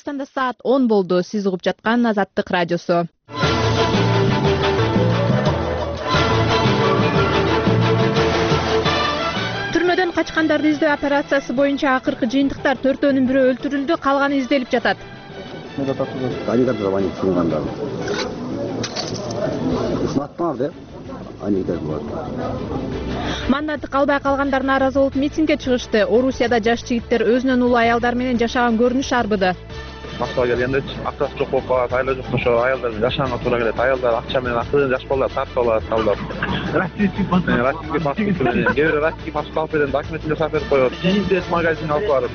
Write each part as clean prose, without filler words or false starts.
Кыргызстанда саат 10 болду. Сиз угуп жаткан Азаттык радиосу. Түрмөдөн качкандарды издөө операциясы боюнча акыркы жыйынтыктар 4-өнүн бирөө өлтүрүлдү, калганы изделип жатат. Мандаты калбай калгандар нааразы болуп митингге чыгышты. Орусияда жаш жигиттер өзүнөн улуу аялдар менен жашаган көрүнүш арбыды. Москвага келгенде акчасы жок болуп калат, айла жок ошо аялдар менен жашаганга туура келет. Аялдар акча менен акча жаш балдар тартып алат, алдап. Российский паспорт менен, кээ бирөө российский паспорт алып берет, документин жасап берип коет. Кийинде магазинге алып барып.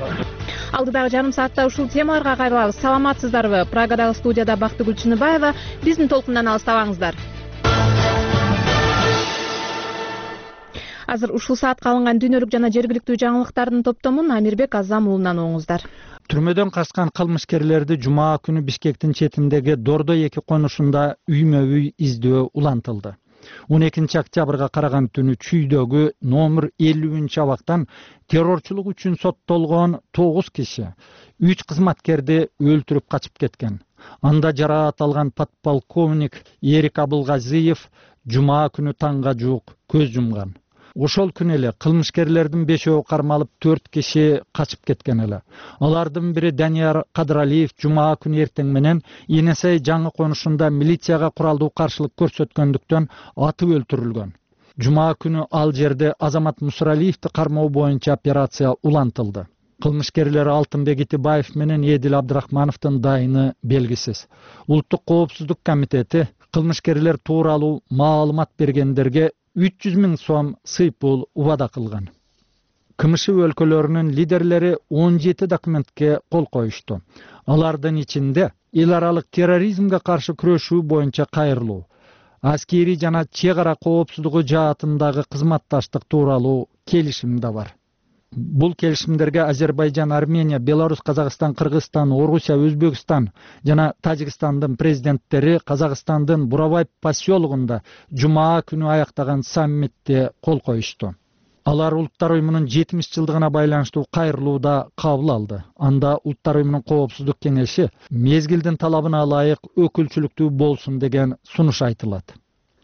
Алдыдагы жарым саатта ушул темаларга кайрылабыз. Саламатсыздарбы? Прагадагы студияда Бактыгүл Чыныбаева. Биздин толкундан алыстабаңыздар. Азыр ушул саатка алынган дүйнөлүк жана жергиликтүү жаңылыктардын топтомун Амирбек Азам уулунан оңуңуздар. Түрмөдөн качкан кылмышкерлерди жума күнү Бишкектин четиндеги Дордо 2 конушунда үймө-үй издөө улантылды. 12 октябрга караган түнү Чүйдөгү номер 50 абактан террорчулук үчүн соттолгон 9 киши 3 кызматкерди өлтүрүп качып кеткен. Анда жараат алган подполковник Эрик Абылгазиев жума күнү таңга жуук көз жумган. Ошол күнү эле кылмышкерлердин 5-өө кармалып 4 киши качып кеткен эле. Алардын бири Данияр Кадыралиев жума күнү эртең менен Инесей жаңы конушунда милицияга куралдуу каршылык көрсөткөндүктөн атып өлтүрүлгөн. Жума күнү ал жерде Азамат Мусралиевди кармоо боюнча операция улантылды. Кылмышкерлер Алтынбек Итибаев менен Эдил Абдрахмановдун дайыны белгисиз. Улуттук коопсуздук комитети кылмышкерлер тууралуу маалымат бергендерге 300 000 сом сый пул убада кылган. КМШ өлкөлөрүнүн лидерлери 17 документке кол коюшту. Алардын ичинде эл аралык терроризмге каршы күрөшүү боюнча кайрылуу, аскери жана чек ара коопсуздугу жаатындагы кызматташтык тууралуу келишим да бар. Бул келишимдерге Азербайжан, Армения, Беларусь, Казакстан, Кыргызстан, Орусия, Өзбекстан жана Тажикстандын президенттери Казакстандын Бурабай поселогунда жума күнү аяктаган саммитте кол коюшту. Алар Улуттар уюмунун 70 жылдыгына байланыштуу кайрылууда кабыл алды. Анда Улуттар уюмунун коопсуздук кеңеши мезгилдин талабына ылайык өкүлчүлүктүү болсун деген сунуш айтылат.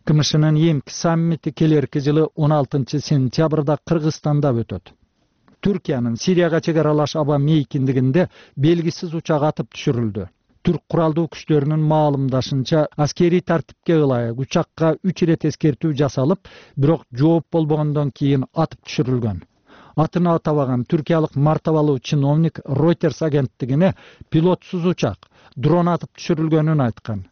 КМШнын эмки саммити келерки жылы 16 сентябрда Кыргызстанда өтөт. Түркиянын Сирияга чек аралаш аба мейкиндигинде белгисиз учак атып түшүрүлдү. Түрк куралдуу күчтөрүнүн маалымдашынча, аскери тартипке ылайык учакка 3 ирет эскертүү жасалып, бирок жооп болбогондон кийин атып түшүрүлгөн. Атын атабаган түркиялык мартабалуу чиновник Reuters агенттигине пилотсуз учак, дрон атып түшүрүлгөнүн айткан.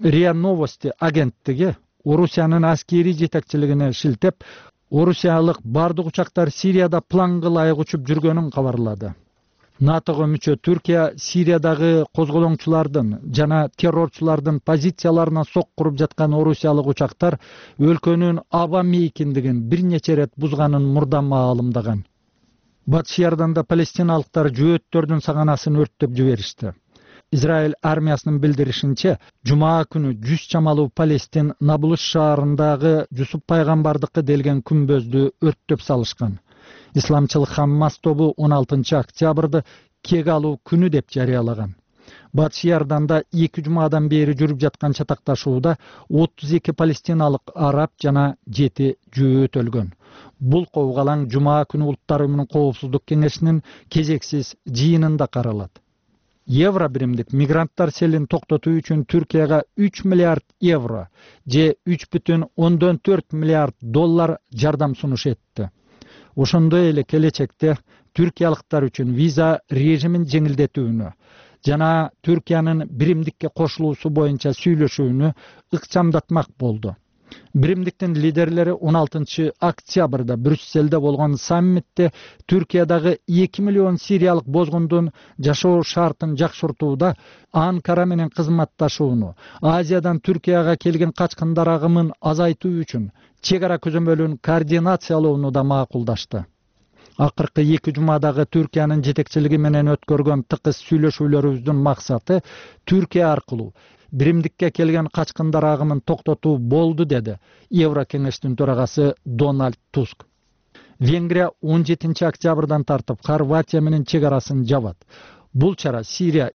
РИА Новости агенттиги Орусиянын аскери жетекчилигине шилтеп, Орусиялык бардык учактар Сирияда планга ылайык учуп жүргөнүн кабарлады. НАТОго мүчө Түркия Сириядагы козголоңчулардын жана террорчулардын позицияларына сок куруп жаткан орусиялык учактар өлкөнүн аба мейкиндигин бир нече ирет бузганын мурда маалымдаган. Батыш Иорданда палестиналыктар жөөттөрдүн саганасын өрттөп жиберишти. Израиль армиясынын билдиришинче, жума күнү 100 чамалуу Палестин Наблус шаарындагы Жусуп пайгамбардыкы делген күмбөздү өрттөп салышкан. Исламчыл Хаммас тобу 16 октябрды кек алуу күнү деп жарыялаган. Батыш Иорданда 2 жумадан бери жүрүп жаткан чатакташууда 32 палестиналык араб жана 7 жөөт өлгөн. Бул кобгалаң жума күнү Улуттар уюмунун коопсуздук кеңешинин кезексиз жыйынында каралат. Евро биримдик мигранттар селин токтотуу үчүн Түркияга 3 миллиард евро же 3,4 миллиард доллар жардам сунуш этти. Ошондой эле келечекте түркиялыктар үчүн виза режимин жеңилдетүүнү жана Түркиянын биримдикке кошулуусу боюнча сүйлөшүүнү ыкчамдатмак болду. Биримдиктин лидерлери 16 октябрда Брюсселде болгон саммитте Түркиядагы 2 миллион сириялык бозгундун жашоо шартын жакшыртууда Анкара менен кызматташууну, Азиядан Түркияга келген качкындар агымын азайтуу үчүн чек ара көзөмөлүн координациялоону да макулдашты. Акыркы 2 жумадагы Түркиянын жетекчилиги менен өткөргөн тыкыз сүйлөшүүлөрүбүздүн максаты Түркия аркылуу биримдикке келген качкындар агымын токтотуу болду, деди Евро кеңештин төрагасы Дональд Туск. Венгрия 17 октябрдан тартып Хорватия менен чек арасын жабат. Бул чара Сирия,